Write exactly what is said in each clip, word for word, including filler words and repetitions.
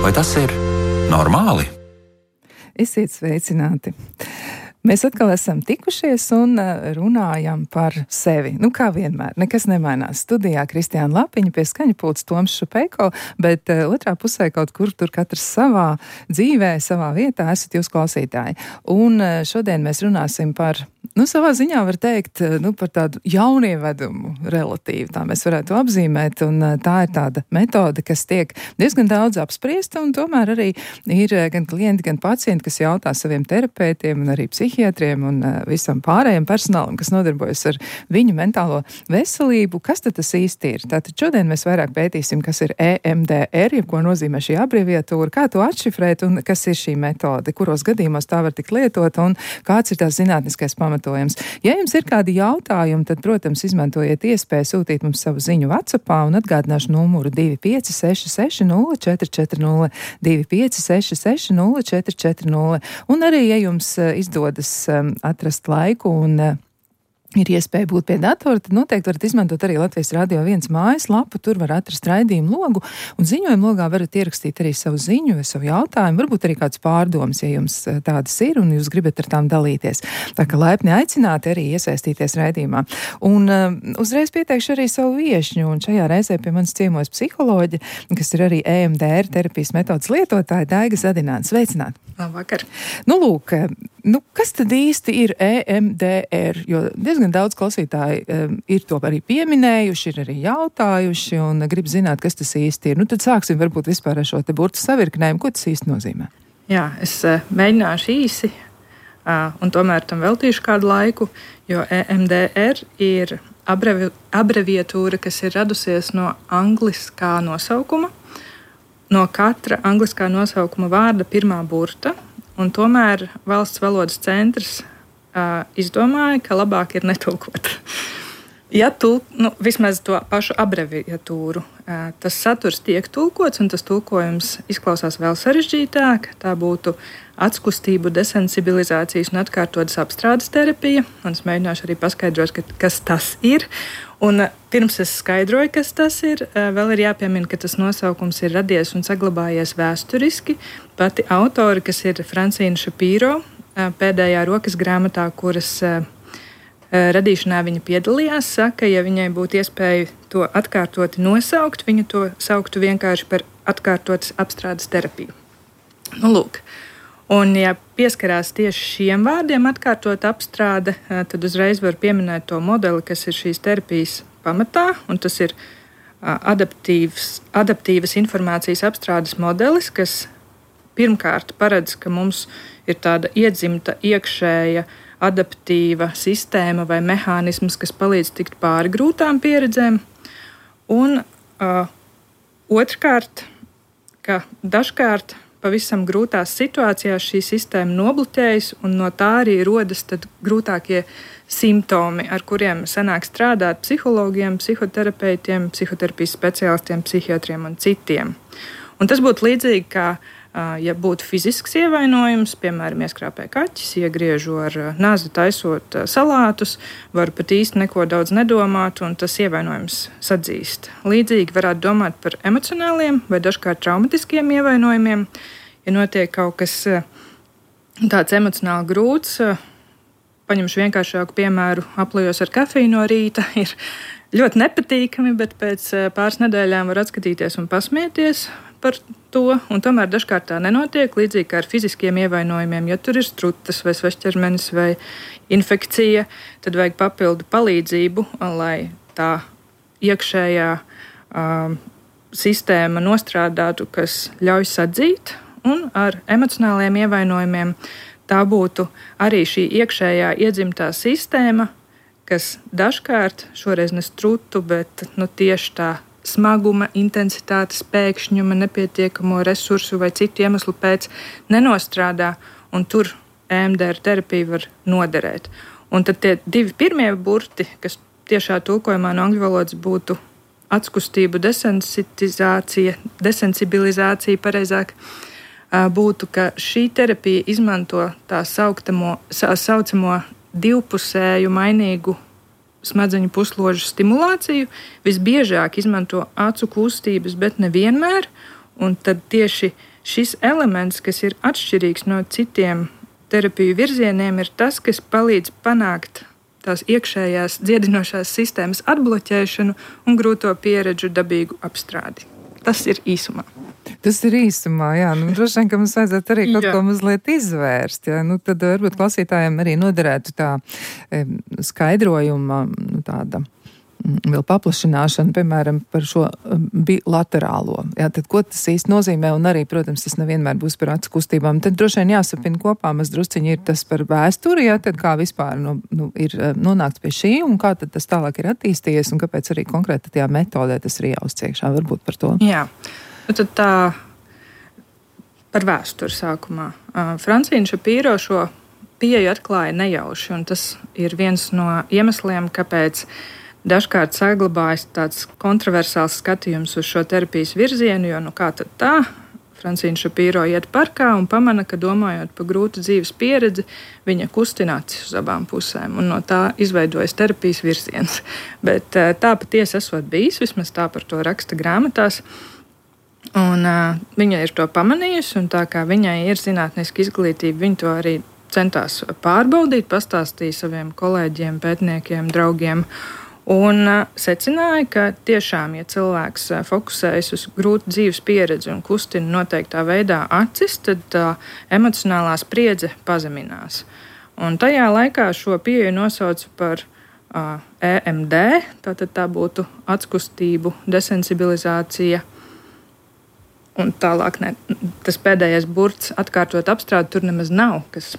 Vai tas ir normāli? Esiet sveicināti! Mēs atkal esam tikušies un runājam par sevi. Nu, kā vienmēr, nekas nemainās. Studijā Kristiāna Lapiņa, pie skaņa pults Toms Šupeiko, bet uh, otrā pusē kaut kur tur katrs savā dzīvē, savā vietā esat jūs klausītāji. Un uh, šodien mēs runāsim par, nu, savā ziņā var teikt, uh, nu, par tādu jaunievedumu relatīvi, tā mēs varētu apzīmēt, un uh, tā ir tāda metode, kas tiek diezgan daudz apspriesta, un tomēr arī ir uh, gan klienti, gan pacienti, kas jautā saviem terapeitiem un arī psihiatriem un uh, visam pārējiem personālam, kas nodarbojas ar viņu mentālo veselību. Kas tad tas īsti ir? Tātad šodien mēs vairāk pētīsim, kas ir E M D R, ja ko nozīmē šī abreviatūra, kā to atšifrēt un kas ir šī metode, kuros gadījumos tā var tikt lietot un kāds ir tās zinātniskais pamatojums. Ja jums ir kādi jautājumi, tad, protams, izmantojiet iespēju sūtīt mums savu ziņu WhatsAppā un atgādināšu numuru divi pieci seši seši nulle četri četri nulle, divi pieci seši seši nulle četri četri nulle. Un arī, ja jums izdodas atrast laiku un uh, ir iespēja būt pie datora, tad noteikti varat izmantot arī Latvijas Radio viens mājaslapu, tur var atrast raidījumu logu, un ziņojumu logā varat ierakstīt arī savu ziņu vai savu jautājumu, varbūt arī kāds pārdomas, ja jums tādas ir un jūs gribat ar tām dalīties. Tā kā laipni aicināti arī iesaistīties raidījumā. Un uh, uzreiz pieteikšu arī savu viešņu, un šajā reizē pie manis ciemojas psiholoģi, kas ir arī E M D R terapijas metodas lietotāja Daiga Zadināne. Sveicināti! Labvakar! Nu, lūk, nu, kas tad īsti ir E M D R? Jo diezgan daudz klausītāji um, ir to arī pieminējuši, ir arī jautājuši un grib zināt, kas tas īsti ir. Nu, tad sāksim varbūt vispār ar šo te burtu savirknējumu. Ko tas īsti nozīmē? Jā, es uh, mēģināšu īsi uh, un tomēr tam veltīšu kādu laiku, jo E M D R ir abrevi, abreviatūra, kas ir radusies no angliskā nosaukuma, no katra angliskā nosaukuma vārda pirmā burta, un tomēr Valsts valodas centrs uh, izdomāja, ka labāk ir netulkot. Ja tulk, nu, vismaz to pašu abreviatūru, uh, tas saturs tiek tulkots, un tas tulkojums izklausās vēl sarežģītāk, tā būtu atskustību desensibilizācijas un atkārtotas apstrādes terapija, un es mēģināšu arī paskaidrot, ka, kas tas ir. Un pirms es skaidroju, kas tas ir, vēl ir jāpiemina, ka tas nosaukums ir radies un saglabājies vēsturiski. Pati autori, kas ir Francīna Šapīro, pēdējā rokas grāmatā, kuras radīšanā viņa piedalījās, saka, ja viņai būtu iespēja to atkārtoti nosaukt, viņa to sauktu vienkārši par atkārtotas apstrādes terapiju. Nu, lūk. Un, ja pieskarās tieši šiem vārdiem atkārtot apstrāde, tad uzreiz var pieminēt to modeli, kas ir šīs terapijas pamatā, un tas ir adaptīvs, adaptīvas informācijas apstrādes modelis, kas pirmkārt paredz, ka mums ir tāda iedzimta iekšēja adaptīva sistēma vai mehānisms, kas palīdz tikt pāri grūtām pieredzēm, un uh, otrkārt, ka dažkārt pavisam grūtās situācijās šī sistēma nobloķējas, un no tā arī rodas tad grūtākie simptomi, ar kuriem sanāk strādāt psihologiem, psihoterapeitiem, psihoterapijas speciālistiem, psihiatriem un citiem. Un tas būtu līdzīgi, kā ja būtu fizisks ievainojums, piemēram, ieskrāpē kaķis, iegriežu ar nazi taisot salātus, var pat īsti neko daudz nedomāt, un tas ievainojums sadzīst. Līdzīgi varētu domāt par emocionāliem vai dažkārt traumatiskiem ievainojumiem. Ja notiek kaut kas tāds emocionāli grūts, paņemšu vienkāršāku piemēru, aplejos ar kafiju no rīta, ir ļoti nepatīkami, bet pēc pāris nedēļām var atskatīties un pasmieties par to, un tomēr dažkārt tā nenotiek, līdzīgi kā ar fiziskiem ievainojumiem. Ja tur ir strutas vai svešķermenis vai infekcija, tad vajag papildu palīdzību, lai tā iekšējā um, sistēma nostrādātu, kas ļauj sadzīt, un ar emocionāliem ievainojumiem tā būtu arī šī iekšējā iedzimtā sistēma, kas dažkārt, šoreiz ne strutu, bet nu, tieši tā smaguma, intensitātes, pēkšņuma, nepietiekamo resursu vai citu iemeslu pēc nenostrādā, un tur E M D R terapija var noderēt. Un tad tie divi pirmie burti, kas tiešā tulkojumā no angļu valodas būtu atskustību desensitizācija, desensibilizācija pareizāk, būtu, ka šī terapija izmanto tā sauktamo, saucamo divpusēju mainīgu smadzeņu pusložu stimulāciju, visbiežāk izmanto acu kustības, bet nevienmēr, un tad tieši šis elements, kas ir atšķirīgs no citiem terapiju virzieniem, ir tas, kas palīdz panākt tās iekšējās dziedinošās sistēmas atbloķēšanu un grūto pieredžu dabīgu apstrādi. Tas ir īsumā. Tas ir īsumā, jā. Nu, droši vien, ka mums vajadzētu arī kaut jā. ko mazliet izvērst. Jā. Nu, tad varbūt klausītājiem arī noderētu tā e, skaidrojuma nu, tāda vēl paplašināšana, piemēram, par šo bilaterālo. Jā, tad ko tas īsti nozīmē, un arī, protams, tas nevienmēr būs par acu kustībām. Tad droši vien jāsapina kopā, maz drusciņi ir tas par vēsturi, jā, tad kā vispār nu, nu, ir nonākts pie šī, un kā tad tas tālāk ir attīstījies, un kāpēc arī konkrēti tajā metodē tas ir jāuzciekšā, varbūt par to. Jā, nu tad tā par vēsturi sākumā. Francīna Šapīro šo pieeju atklāja nejauši, un tas ir viens no iemesliem, kāpēc dažkārt saglabājas tāds kontroversāls skatījums uz šo terapijas virzienu, jo nu kā tad tā? Francīna Šapīro iet parkā un pamana, ka domājot par grūtu dzīves pieredzi, viņa kustina acis uz abām pusēm, un no tā izveidojas terapijas virziens. Bet tā patiesi esot bijis, vismaz tā par to raksta grāmatās, un uh, viņa ir to pamanījusi, un tā kā viņai ir zinātniska izglītība, viņa to arī centās pārbaudīt, pastāstīja saviem kolēģiem, pētniekiem, draugiem, un uh, secināja, ka tiešām, ja cilvēks uh, fokusējas uz grūtu dzīves pieredzi un kustina noteiktā veidā acis, tad tā uh, emocionālā spriedze pazeminās. Un tajā laikā šo pieeju nosauca par uh, E M D, tātad tā būtu atskustību desensibilizācija. Un tālāk ne, tas pēdējais burts atkārtot apstrādi tur nemaz nav, kas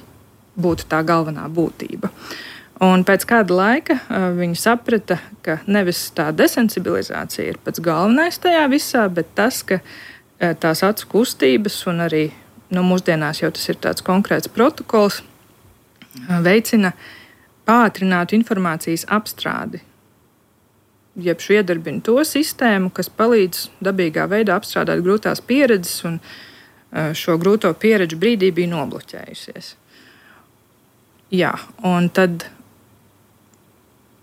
būtu tā galvenā būtība. Un pēc kāda laika uh, viņi saprata, ka nevis tā desensibilizācija ir pats galvenais tajā visā, bet tas, ka uh, tās acu kustības un arī nu, mūsdienās jau tas ir tāds konkrēts protokols, uh, veicina pātrinātu informācijas apstrādi. Jeb šo iedarbina to sistēmu, kas palīdz dabīgā veidā apstrādāt grūtās pieredzes, un uh, šo grūto pieredžu brīdī bija nobloķējusies. Jā, un tad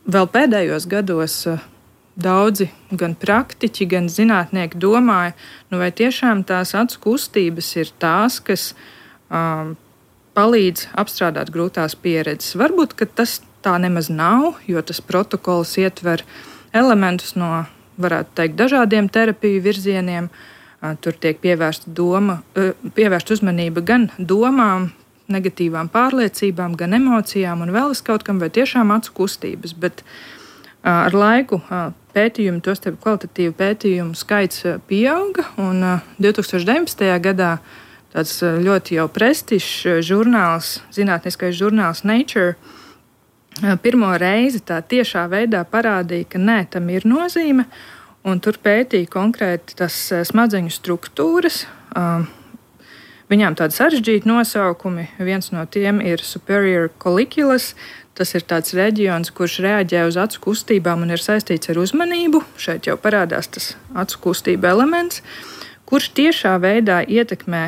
vēl pēdējos gados daudzi gan praktiķi, gan zinātnieki domāja, nu vai tiešām tās acu kustības ir tās, kas um, palīdz apstrādāt grūtās pieredzes. Varbūt, ka tas tā nemaz nav, jo tas protokols ietver elementus no, varētu teikt, dažādiem terapiju virzieniem. Uh, tur tiek pievērsta doma, uh, pievērsta uzmanība gan domām, negatīvām pārliecībām, gan emocijām un vēl kaut kam, vai tiešām acu kustības. Bet uh, ar laiku uh, pētījumu, tostarp kvalitatīvu pētījumu skaits uh, pieauga, un uh, divs tūkstoš deviņpadsmitajā gadā tāds uh, ļoti jau prestižs žurnāls, zinātniskais žurnāls Nature, uh, pirmo reizi tā tiešā veidā parādīja, ka nē, tam ir nozīme, un tur pētīja konkrēti tas uh, smadzeņu struktūras. Uh, Viņām tādi sarežģīti nosaukumi. Viens no tiem ir superior colliculus. Tas ir tāds reģions, kurš reaģē uz acu kustībām un ir saistīts ar uzmanību. Šeit jau parādās tas acu kustība elements, kurš tiešā veidā ietekmē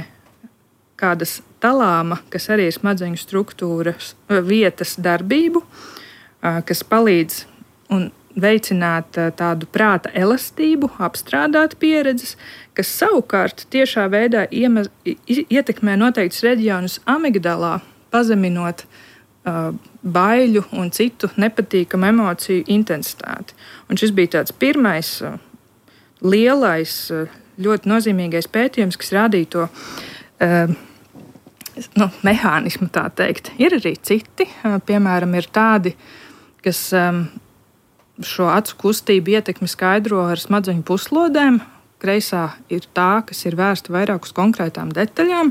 kādas talāma, kas arī ir smadzeņu struktūras vietas darbību, kas palīdz un veicināt tādu prāta elastību, apstrādāt pieredzes, kas savukārt tiešā veidā iemaz, ietekmē noteiktus reģionus amigdalā, pazeminot uh, baiļu un citu nepatīkamu emociju intensitāti. Un šis bija tāds pirmais uh, lielais, uh, ļoti nozīmīgais pētījums, kas rādīja to uh, nu, mehānismu, tā teikt. Ir arī citi, uh, piemēram, ir tādi, kas um, šo acu kustību ietekmi skaidro ar smadzeņu puslodēm. Kreisā ir tā, kas ir vērsta vairāk uz konkrētām detaļām.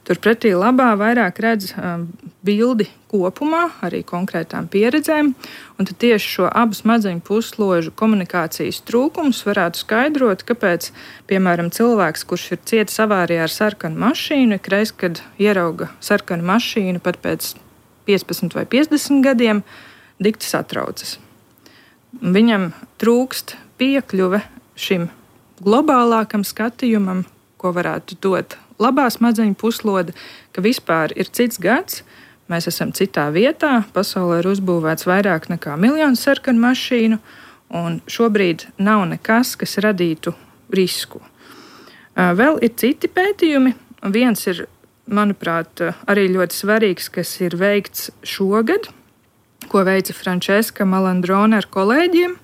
Turpretī labā vairāk redz um, bildi kopumā, arī konkrētām pieredzēm. Un tad tieši šo abu smadzeņu pusložu komunikācijas trūkums varētu skaidrot, kāpēc, piemēram, cilvēks, kurš ir cietis avārijā ar sarkanu mašīnu, ikreiz, kad ierauga sarkanu mašīnu pat pēc piecpadsmit vai piecdesmit gadiem, dikti satraucas. Viņam trūkst piekļuve šim globālākam skatījumam, ko varētu dot labā smadzeņu puslode, ka vispār ir cits gads, mēs esam citā vietā, pasaulē ir uzbūvēts vairāk nekā miljonu sarkanu mašīnu, un šobrīd nav nekas, kas radītu risku. Vēl ir citi pētījumi, viens ir, manuprāt, arī ļoti svarīgs, kas ir veikts šogad, ko veica Frančeska Malandrone ar kolēģiem.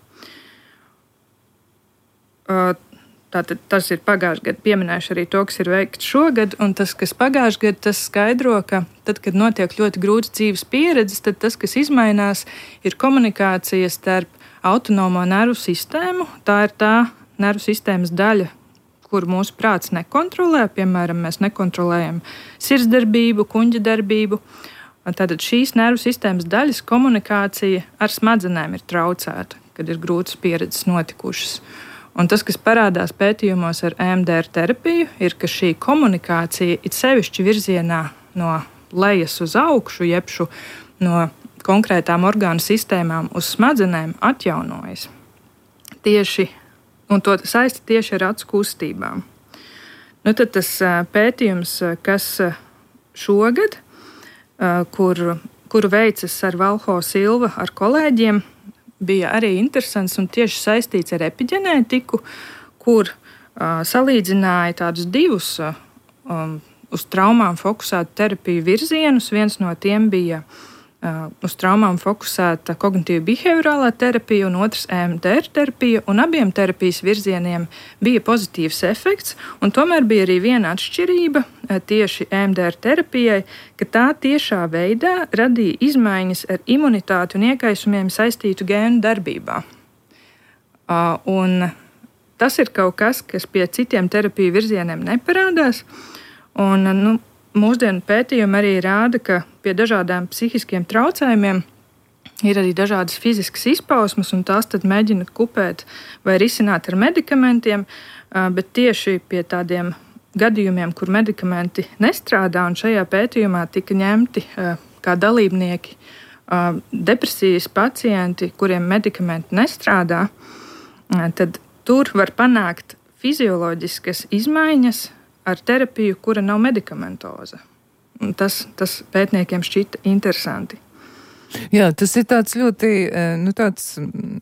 Tātad tas ir pagājušajā gadā, pieminējuši arī to, kas ir veikts šogad, un tas, kas pagājušajā gadā, tas skaidro, ka tad, kad notiek ļoti grūts dzīves pieredzes, tad tas, kas izmainās, ir komunikācija starp autonomo nervu sistēmu. Tā ir tā nervu sistēmas daļa, kur mūsu prāts nekontrolē. Piemēram, mēs nekontrolējam sirdsdarbību, kuņģa darbību. Tātad šīs nervu sistēmas daļas komunikācija ar smadzenēm ir traucēta, kad ir grūtas pieredzes notikušas. Un tas, kas parādās pētījumos ar E M D R terapiju, ir, ka šī komunikācija it sevišķi virzienā no lejas uz augšu, jeb no konkrētām orgānu sistēmām uz smadzenēm atjaunojas. Tieši, un to saisti tieši ar acu kustībām. Nu, tad tas pētījums, kas šogad, kur, kuru veicas ar Valho Silva ar kolēģiem, bija arī interesants un tieši saistīts ar epiģenētiku, kur uh, salīdzināja tādus divus uh, um, uz traumām fokusētu terapiju virzienus. Viens no tiem bija uh, uz traumām fokusēta kognitīva behaviorālā terapija un otrs E M D R terapija, un abiem terapijas virzieniem bija pozitīvs efekts, un tomēr bija arī viena atšķirība uh, tieši E M D R terapijai, ka tā tiešā veidā radīja izmaiņas ar imunitāti un iekaisumiem saistītu gēnu darbībā. Uh, un tas ir kaut kas, kas pie citiem terapiju virzieniem neparādās. Un, nu, mūsdienu pētījumi arī rāda, ka pie dažādām psihiskiem traucējumiem ir arī dažādas fiziskas izpausmes, un tās tad mēģina kupēt vai risināt ar medikamentiem, uh, bet tieši pie tādiem gadījumiem, kur medikamenti nestrādā, un šajā pētījumā tika ņemti uh, kā dalībnieki uh, depresijas pacienti, kuriem medikamenti nestrādā, uh, tad tur var panākt fizioloģiskas izmaiņas ar terapiju, kura nav medikamentoza. Un tas, tas pētniekiem šķita interesanti. Jā, tas ir tāds ļoti nu, tāds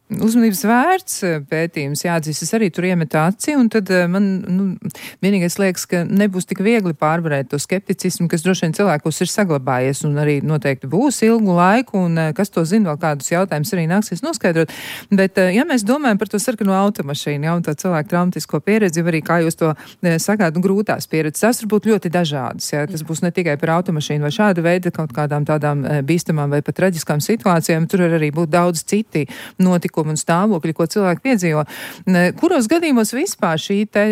uzmanības vērts pētījums. Jāatzīst, es arī tur iemetu aci, un tad man nu, vienīgais liekas, ka nebūs tik viegli pārvarēt to skepticismu, kas droši vien cilvēkos ir saglabājies, un arī noteikti būs ilgu laiku, un kas to zina, vēl kādus jautājumus arī nāksies noskaidrot. Bet, ja mēs domājam par to sarkano automašīnu, ja, un tā cilvēku traumatisko pieredzi, arī, kā jūs to sakāt, nu, grūtās pieredzes, tas var būt ļoti dažādas. Ja. Tas būs ne tikai par automašīnu vai šāda veida kaut kādām tādām bīstamām vai pat traģiskām situācijām, tur var arī būt daudz citi notikumi un stāvokļi, ko cilvēki piedzīvo. Kuros gadījumos vispār šī te,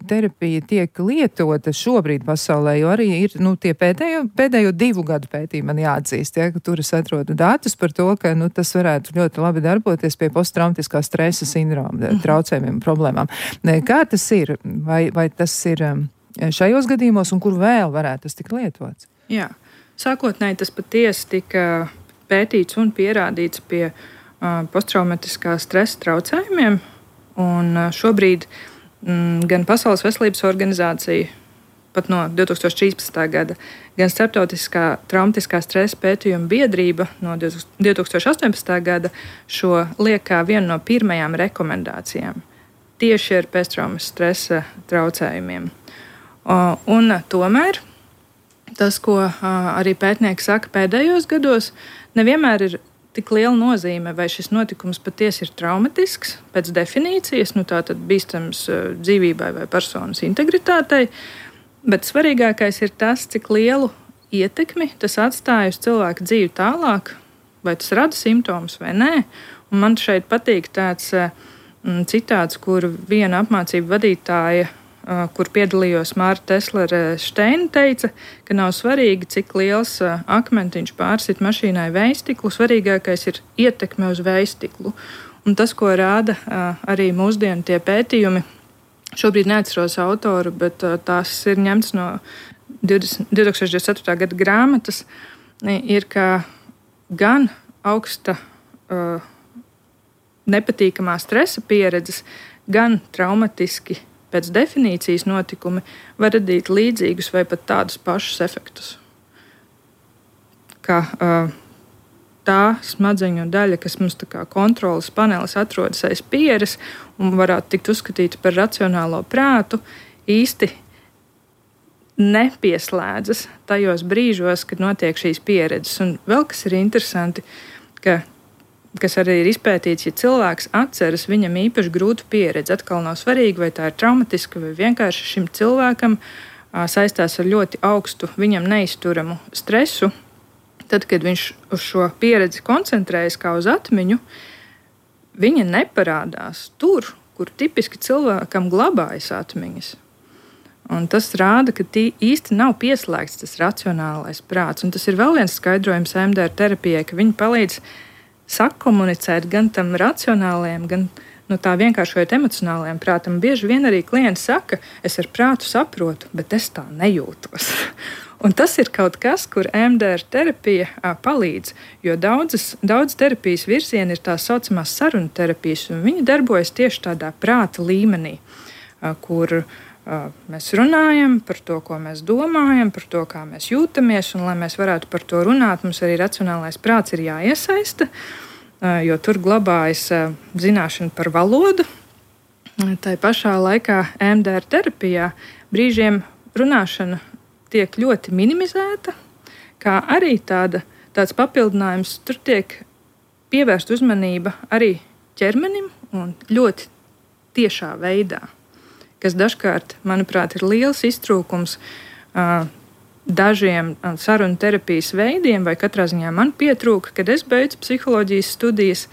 terapija tiek lietota šobrīd pasaulē, jo arī ir nu, tie pēdējo, pēdējo divu gadu pētījumi man jāatzīst, ja, ka tur es atrodu datus par to, ka nu, tas varētu ļoti labi darboties pie posttraumatiskā stresa sindroma traucējumiem un problēmām. Kā tas ir? Vai, vai tas ir šajos gadījumos un kur vēl varētu tas tikt lietots? Jā, sākotnēji tas patiesi tika pētīts un pierādīts pie uh, posttraumatiskā stresa traucējumiem. Un, uh, šobrīd mm, gan Pasaules veselības organizācija, pat no divi tūkstoši trīspadsmitā gada, gan Starptautiskā traumatiskā stresa pētījuma biedrība no divi tūkstoši astoņpadsmitā gada šo liek kā vienu no pirmajām rekomendācijām tieši ar pēctraumas stresa traucējumiem. Uh, un uh, tomēr tas, ko uh, arī pētnieki saka pēdējos gados, nevienmēr ir tik liela nozīme, vai šis notikums patiesi ir traumatisks pēc definīcijas, nu tātad bīstams uh, dzīvībai vai personas integritātei, bet svarīgākais ir tas, cik lielu ietekmi tas atstāja uz cilvēku dzīvi tālāk, vai tas rada simptomus vai nē. Un man šeit patīk tāds uh, citāts, kur viena apmācību vadītāja, kur piedalījos Mārta Teslere Šteina, teica, ka nav svarīgi, cik liels akmentiņš pārsit mašīnai vējstiklu, svarīgākais ir ietekme uz vējstiklu. Un tas, ko rāda arī mūsdienu tie pētījumi, šobrīd neatceros autoru, bet tās ir ņemts no divi tūkstoši divdesmit ceturtā gada grāmatas, ir, ka gan augsta nepatīkamā stresa pieredzes, gan traumatiski pēc definīcijas notikumi var radīt līdzīgus vai pat tādus pašus efektus. Kā uh, tā smadzeņu daļa, kas mums tā kā kontrolas panelis atrodas aiz pieres un varētu tikt uzskatīta par racionālo prātu, īsti nepieslēdzas tajos brīžos, kad notiek šīs pieredzes. Un vēl kas ir interesanti, ka, kas arī ir izpētīts, ja cilvēks atceras viņam īpaši grūtu pieredzi, atkal nav svarīgi, vai tā ir traumatiska, vai vienkārši šim cilvēkam saistās ar ļoti augstu, viņam neizturamu stresu. Tad, kad viņš uz šo pieredzi koncentrējas kā uz atmiņu, viņa neparādās tur, kur tipiski cilvēkam glabājas atmiņas. Un tas rāda, ka tī īsti nav pieslēgts tas racionālais prāts. Un tas ir vēl viens skaidrojums E M D R terapijai, ka viņi palīdz sakomunicēt gan tam racionālajiem, gan no tā vienkāršojot emocionālajiem prātam. Bieži vien arī klienti saka, es ar prātu saprotu, bet es tā nejūtos. Un tas ir kaut kas, kur E M D R terapija a, palīdz, jo daudzas, daudz terapijas virzieni ir tās saucamās sarunu terapijas, un viņi darbojas tieši tādā prāta līmenī, a, kur a, mēs runājam par to, ko mēs domājam, par to, kā mēs jūtamies, un lai mēs varētu par to runāt, mums arī racionālais prāts ir jāiesaista, jo tur glabājas zināšana par valodu. Tā pašā laikā E M D R terapijā brīžiem runāšana tiek ļoti minimizēta, kā arī tāda, tāds papildinājums. Tur tiek pievērsta uzmanība arī ķermenim un ļoti tiešā veidā, kas dažkārt, manuprāt, ir liels iztrūkums dažiem sarunu terapijas veidiem, vai katrā ziņā man pietrūka, kad es beidzu psiholoģijas studijas,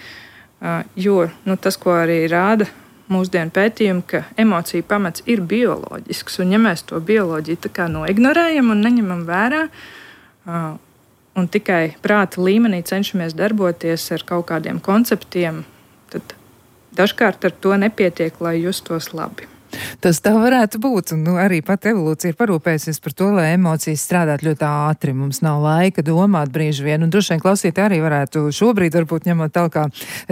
jo nu, tas, ko arī rāda mūsdienu pētījumi, ka emociju pamats ir bioloģisks, un ja mēs to bioloģiju tā kā noignorējam un neņemam vērā, un tikai prāta līmenī cenšamies darboties ar kaut kādiem konceptiem, tad dažkārt ar to nepietiek, lai justos labi. Tas tā varētu būt, un nu, arī pat evolūcija ir parūpējusies par to, lai emocijas strādātu ļoti ātri. Mums nav laika domāt brīži vien, un droši vien klausītāji arī varētu šobrīd, varbūt ņemot tālāk kā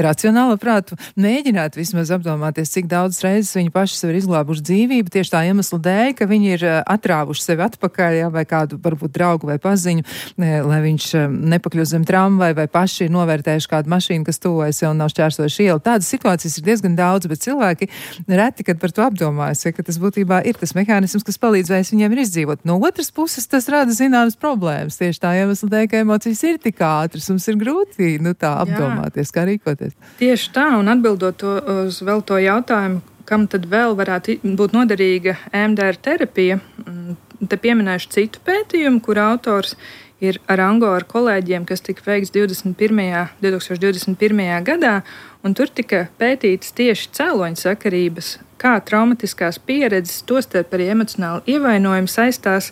racionālo prātu, mēģināt vismaz apdomāties, cik daudz reizes viņi paši sev ir izglābuši dzīvību, tieši tā iemesla dēļ, ka viņi ir atrāvuši sevi atpakaļ, jā, vai kādu varbūt draugu vai paziņu, lai viņš nepakļūst zem tramvaju, vai paši ir novērtējuši kādu mašīnu, kas tuvojas un nav šķērsojuši ielu. Tādas situācijas ir diezgan daudz, bet cilvēki reti, kad par to apdomā. Ja, ka tas būtībā ir tas mehānisms, kas palīdzēs viņiem ir izdzīvot. No otras puses, tas rada zināmas problēmas. Tieši tā iemesla dēļ, ka emocijas ir tik ātras, mums ir grūti nu, tā apdomāties, kā rīkoties. Tieši tā, un atbildot to, uz vēl to jautājumu, kam tad vēl varētu būt noderīga E M D R terapija, te pieminēšu citu pētījumu, kur autors ir Arango ar kolēģiem, kas tika veikts divdesmit pirmajā gadā, un tur tika pētītas tieši cēloņu sakarības, kā traumatiskās pieredzes, tostarp arī emocionāli ievainojumi saistās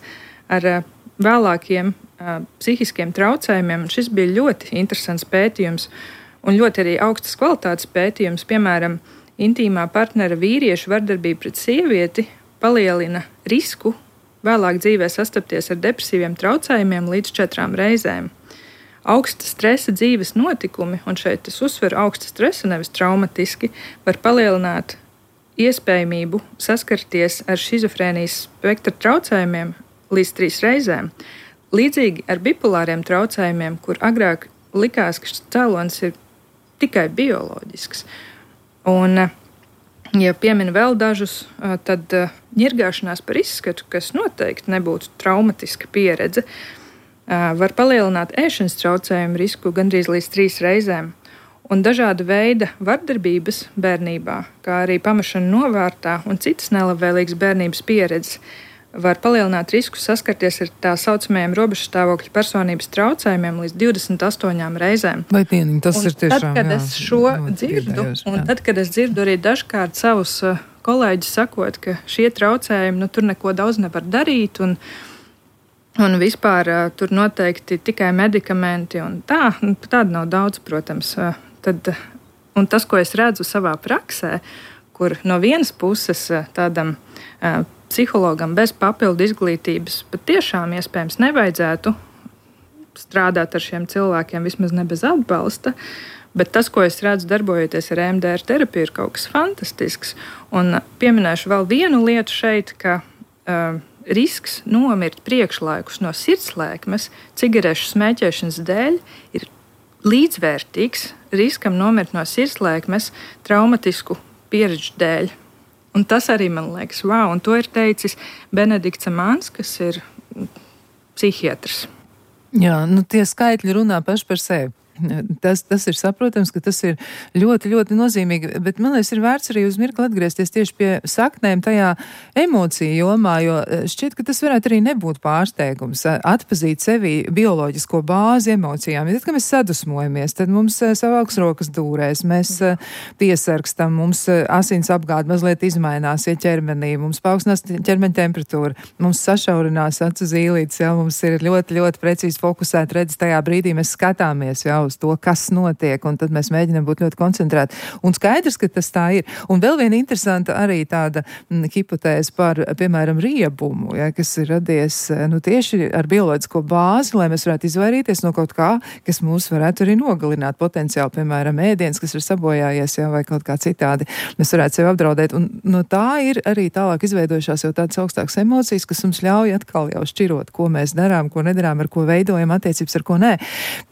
ar uh, vēlākiem uh, psihiskiem traucējumiem. Un šis bija ļoti interesants pētījums un ļoti arī augstas kvalitātes pētījums. Piemēram, intīmā partnera vīriešu vardarbība pret sievieti palielina risku vēlāk dzīvē sastapties ar depresīviem traucējumiem līdz četrām reizēm. Augsta stresa dzīves notikumi, un šeit es uzsveru augsta stresa, nevis traumatiski, var palielināt iespējamību saskarties ar šizofrēnijas spektra traucējumiem līdz trīs reizēm. Līdzīgi ar bipolāriem traucējumiem, kur agrāk likās, ka šis cēlonis ir tikai bioloģisks. Un, ja pieminu vēl dažus, tad ņirgāšanās par izskatu, kas noteikti nebūtu traumatiska pieredze, var palielināt ēšanas traucējumu risku gandrīz līdz trīs reizēm. Un dažāda veida vardarbības bērnībā, kā arī pamešana novārtā un citas nelabvēlīgas bērnības pieredzes, var palielināt risku saskarties ar tā saucamajiem robežstāvokļa personības traucējumiem līdz divdesmit astoņām reizēm. Vai pieniņ, tas un ir tiešām, tad, kad jā, es šo dzirdu, un tad, kad es dzirdu arī dažkārt savus kolēģus sakot, ka šie traucējumi, nu tur neko daudz nevar darīt, un Un vispār uh, tur noteikti tikai medikamenti un tā, tāda nav daudz, protams. Uh, tad, un tas, ko es redzu savā praksē, kur no vienas puses uh, tādam uh, psihologam bez papildu izglītības patiešām iespējams nevajadzētu strādāt ar šiem cilvēkiem, vismaz ne bez atbalsta, bet tas, ko es redzu darbojoties ar E M D R terapiju, ir kaut kas fantastisks. Un uh, pieminēšu vēl vienu lietu šeit, ka uh, risks nomirt priekšlaikus no sirdslēkmes cigarešu smēķēšanas dēļ ir līdzvērtīgs riskam nomirt no sirdslēkmes traumatisku pieredžu dēļ. un tas arī man liekas, wow, un to ir teicis Benedikts Amāns, kas ir psihiatrs. Jā, nu tie skaitļi runā paši par sevi. Tas, tas ir saprotams, ka tas ir ļoti, ļoti nozīmīgi, bet man liekas, ir vērts arī uz mirkli atgriezties tieši pie saknēm tajā emociju jomā, jo šķiet, ka tas varētu arī nebūt pārsteigums, atpazīt sevi bioloģisko bāzi emocijām. Ja tad, kad mēs sadusmojamies, tad mums savāks rokas dūrēs, mēs piesarkstam, mums asins apgāde mazliet izmainās, ja ķermenī, mums paaugstinās ķermeņa temperatūra, mums sašaurinās acu zīlītes, ja mums ir ļoti, ļoti precīzi fokusēta redz tajā brīdī, mēs skatāmies, ja, uz to, kas notiek, un tad mēs mēģinām būt ļoti koncentrēti. Un skaidrs, ka tas tā ir. Un vēl viena interesanta arī tāda m, hipotēze par, piemēram, riebumu, ja, kas ir radies nu, tieši ar bioloģisko bāzi, lai mēs varētu izvairīties no kaut kā, kas mūs varētu arī nogalināt potenciāli, piemēram, ēdiens, kas ir sabojājies, ja, vai kaut kā citādi. Mēs varētu sevi apdraudēt. Un no tā ir arī tālāk izveidojušās jau tādas augstākas emocijas, kas mums ļauj atkal jau šķirot, ko mēs darām, ko nedarām, ar ko veidojam attiecības, ar ko nē.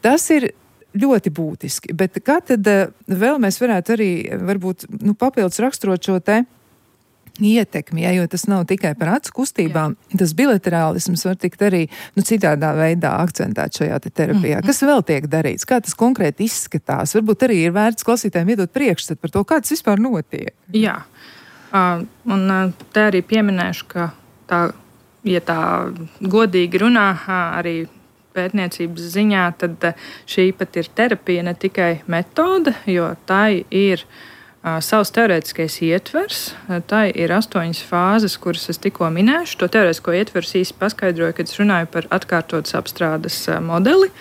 Tas ir ļoti būtiski, bet kā tad vēl mēs varētu arī varbūt nu, papildus raksturot šo te ietekmi, ja, jo tas nav tikai par acu kustībām, Jā. Tas bilaterālisms var tikt arī nu, citādā veidā akcentēt šajā te terapijā. Mm-hmm. Kas vēl tiek darīts? Kā tas konkrēti izskatās? Varbūt arī ir vērts klausītājiem iedot priekšstatu par to, kā tas vispār notiek. Jā, uh, un uh, te arī pieminēšu, ka tā, ja tā godīgi runā, uh, arī pētniecības ziņā, tad šī pat ir terapija, ne tikai metode, jo tai ir uh, savs teorētiskais ietvers, tai ir astoņas fāzes, kuras es tikko minēšu. To teorētisko ietvers īsti paskaidroju, kad es runāju par atkārtotas apstrādes uh, modeli.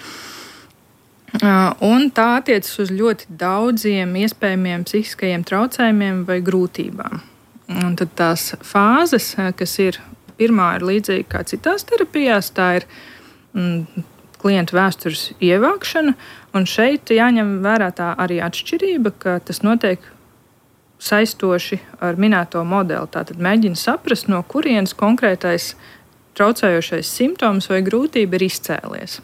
Uh, un tā attiecas uz ļoti daudziem iespējamiem psihiskajiem traucējumiem vai grūtībām. Un tad tās fāzes, kas ir, pirmā ir līdzīga kā citās terapijās, tā ir klientu vēstures ievākšana, un šeit jāņem vērā tā arī atšķirība, ka tas notiek saistoši ar minēto modeli. Tātad mēģina saprast, no kurienes konkrētais traucējošais simptoms vai grūtība ir izcēlies.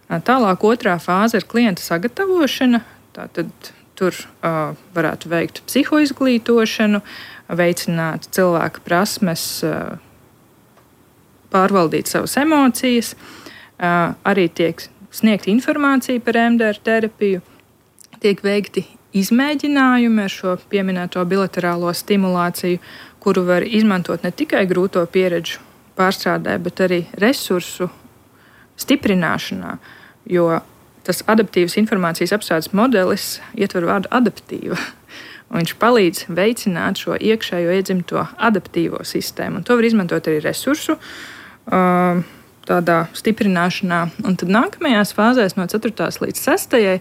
Tālāk otrā fāze ir klienta sagatavošana, tātad tur uh, varētu veikt psihoizglītošanu, veicināt cilvēka prasmes, uh, pārvaldīt savas emocijas. Uh, arī tiek sniegta informācija par E M D R terapiju, tiek veikti izmēģinājumi ar šo pieminēto bilaterālo stimulāciju, kuru var izmantot ne tikai grūto pieredžu pārstrādē, bet arī resursu stiprināšanā, jo tas adaptīvas informācijas apstrādes modelis ietver vārdu adaptīva. Un viņš palīdz veicināt šo iekšējo iedzimto adaptīvo sistēmu, un to var izmantot arī resursu uh, tādā stiprināšanā. Un tad nākamajās fāzēs no ceturtās līdz sestajai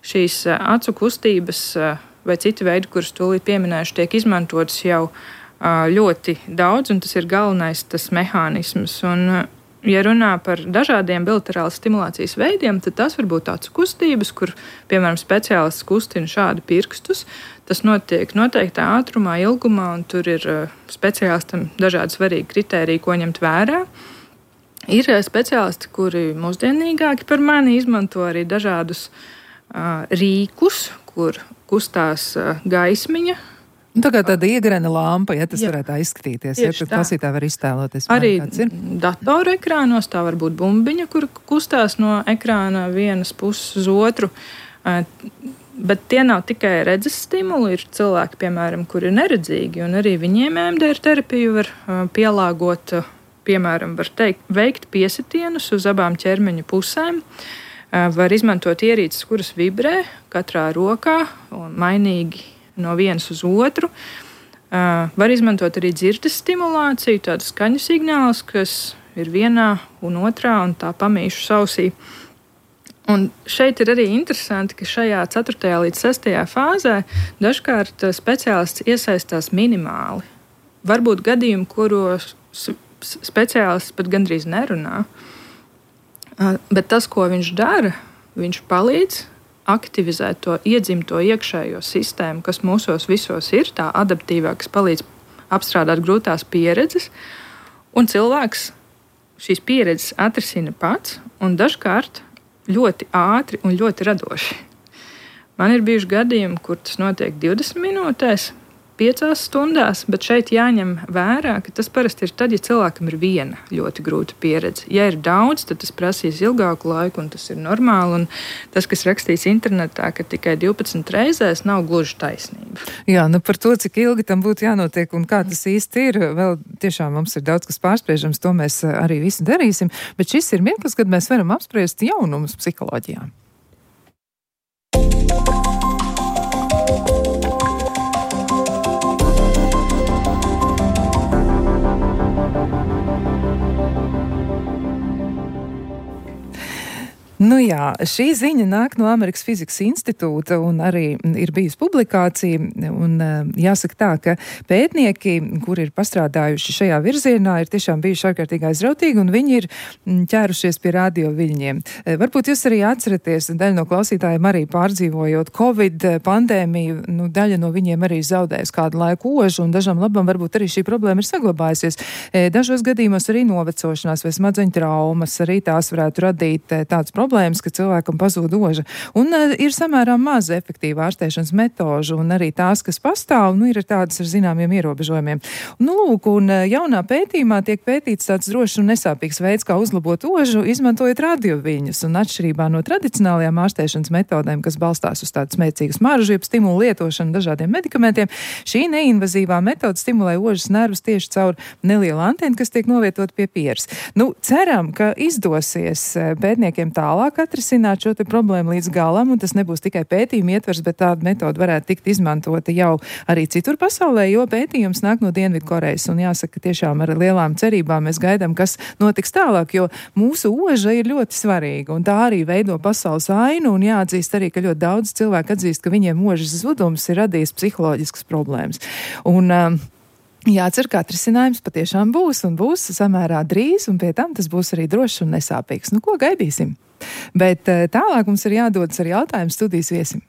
šīs acu kustības vai citi veidi, kurus tūlīt pieminēšu, tiek izmantotas jau ļoti daudz, un tas ir galvenais tas mehānisms. Un, ja runā par dažādiem bilaterālas stimulācijas veidiem, tad tas var būt acu kustības, kur, piemēram, speciālists kustina šādi pirkstus. Tas notiek noteiktā ātrumā, ilgumā, un tur ir speciālistam dažādi svarīgi kritēriji, ko ņemt vērā. Ir speciālisti, kuri mūsdienīgāki par mani izmanto arī dažādus uh, rīkus, kur kustās uh, gaismiņa. Tā kā tāda iegrena lampa, ja tas Jā. Varētu tā izskatīties, ja tad klausītāji var iztēloties. Arī datoru ekrānos tā var būt bumbiņa, kur kustās no ekrāna vienas puses uz otru. Uh, bet tie nav tikai redzes stimuli, ir cilvēki, piemēram, kuri ir neredzīgi, un arī viņiem E M D R terapiju var uh, pielāgot. Uh, Piemēram, var teikt, veikt piesitienus uz abām ķermeņa pusēm. Var izmantot ierīces, kuras vibrē katrā rokā un mainīgi no vienas uz otru. Var izmantot arī dzirdes stimulāciju, tādu skaņu signālus, kas ir vienā un otrā un tā pamīšu sausī. Un šeit ir arī interesanti, ka šajā ceturtajā līdz sestajā fāzē dažkārt speciālists iesaistās minimāli. Varbūt gadījumi, kuros speciālists pat gandrīz nerunā, bet tas, ko viņš dara, viņš palīdz aktivizēt to iedzimto iekšējo sistēmu, kas mūsos visos ir, tā adaptīvā, kas palīdz apstrādāt grūtās pieredzes, un cilvēks šīs pieredzes atrisina pats, un dažkārt ļoti ātri un ļoti radoši. Man ir bijuši gadījumi, kur tas notiek divdesmit minūtēs, piecās stundās, bet šeit jāņem vērā, ka tas parasti ir tad, ja cilvēkam ir viena ļoti grūta pieredze. Ja ir daudz, tad tas prasīs ilgāku laiku, un tas ir normāli. Un tas, kas rakstīts internetā, ka tikai divpadsmit reizēs, nav gluži taisnība. Jā, nu par to, cik ilgi tam būtu jānotiek un kā tas īsti ir, vēl tiešām mums ir daudz kas pārspriežams, to mēs arī visu darīsim, bet šis ir mirklis, kad mēs varam apspriest jaunumus psiholoģijā. Nu jā, šī ziņa nāk no Amerikas Fizikas institūta un arī ir bijusi publikācija. Un jāsaka tā, ka pētnieki, kuri ir pastrādājuši šajā virzienā, ir tiešām bijuši ārkārtīgi aizrautīgi un viņi ir ķērušies pie radioviļņiem. Varbūt jūs arī atceraties, daļa no klausītājiem arī pārdzīvojot Covid pandēmiju, nu, daļa no viņiem arī zaudējusi kādu laiku ožu un dažam labam varbūt arī šī problēma ir saglabājusies. Dažos gadījumos arī novecošanās vai smadzeņu traumas, arī tās varētu radīt tāds problēmas. Problēmas, ka cilvēkam pazūd oža. Un uh, ir samērā maz efektīva ārstēšanas metožu, un arī tās, kas pastāv, nu, ir tādas ar zināmiem ierobežojumiem. Nu, lūk, un uh, jaunā pētījumā tiek pētīts tāds drošs un nesāpīgs veids, kā uzlabot ožu, izmantojot radioviļņus, un atšķirībā no tradicionālajām ārstēšanas metodēm, kas balstās uz tādu smēcīgu smaržu, jeb stimulu lietošanu dažādiem medikamentiem, šī neinvazīvā metode stimulē ožas nervus tieši caur nelielu antenu, kas tiek novietot pie pieres. Nu, ceram, ka izdosies pētniekiem tālāk atrisināt šo te problēmu līdz galam, un tas nebūs tikai pētījuma ietvers, bet tāda metoda varētu tikt izmantota jau arī citur pasaulē, jo pētījums nāk no Dienvidkorejas, un jāsaka, tiešām ar lielām cerībām mēs gaidām, kas notiks tālāk, jo mūsu oža ir ļoti svarīga, un tā arī veido pasaules ainu, un jāatzīst arī, ka ļoti daudz cilvēku atzīst, ka viņiem ožas zudums ir radījis psiholoģiskas problēmas. Un, um, jācer, ka atrisinājums patiešām būs, un būs samērā drīz, un pie tam tas būs arī drošs un nesāpīgs. Nu, ko gaidīsim? Bet tālāk mums ir jādodas ar jautājumu studijas viesim.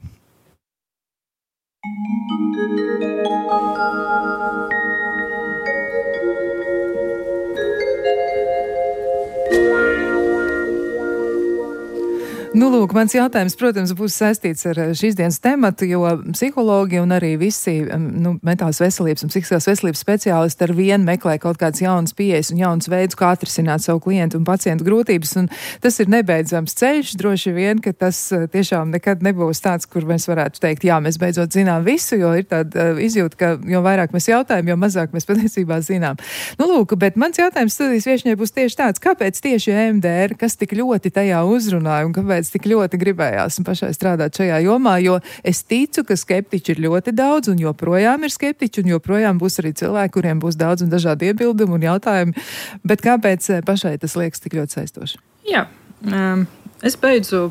Nu, lūk, mans jautājums, protams, būs saistīts ar šīs dienas tematu, jo psihologi un arī visi nu, mentālās veselības un psihiskās veselības speciālisti ar vienu meklē kaut kādas jaunas pieejas un jaunas veidus, kā atrisināt savu klientu un pacientu grūtības, un tas ir nebeidzams ceļš, droši vien, ka tas tiešām nekad nebūs tāds, kur mēs varētu teikt, jā, mēs beidzot zinām visu, jo ir tāda izjūta, ka jo vairāk mēs jautājam, jo mazāk mēs patiesībā zinām. Nu, lūk, bet mans jautājums studijas viešņai būs tieši tāds, kāpēc tieši E M D R, kas tik ļoti tajā uzrunāja un kāpēc tik ļoti gribējās un pašai strādāt šajā jomā, jo es ticu, ka skeptiķi ir ļoti daudz un joprojām ir skeptiķi un joprojām būs arī cilvēki, kuriem būs daudz un dažādi iebildumi un jautājumi, bet kāpēc pašai tas liekas tik ļoti saistoši? Jā, um, es beidzu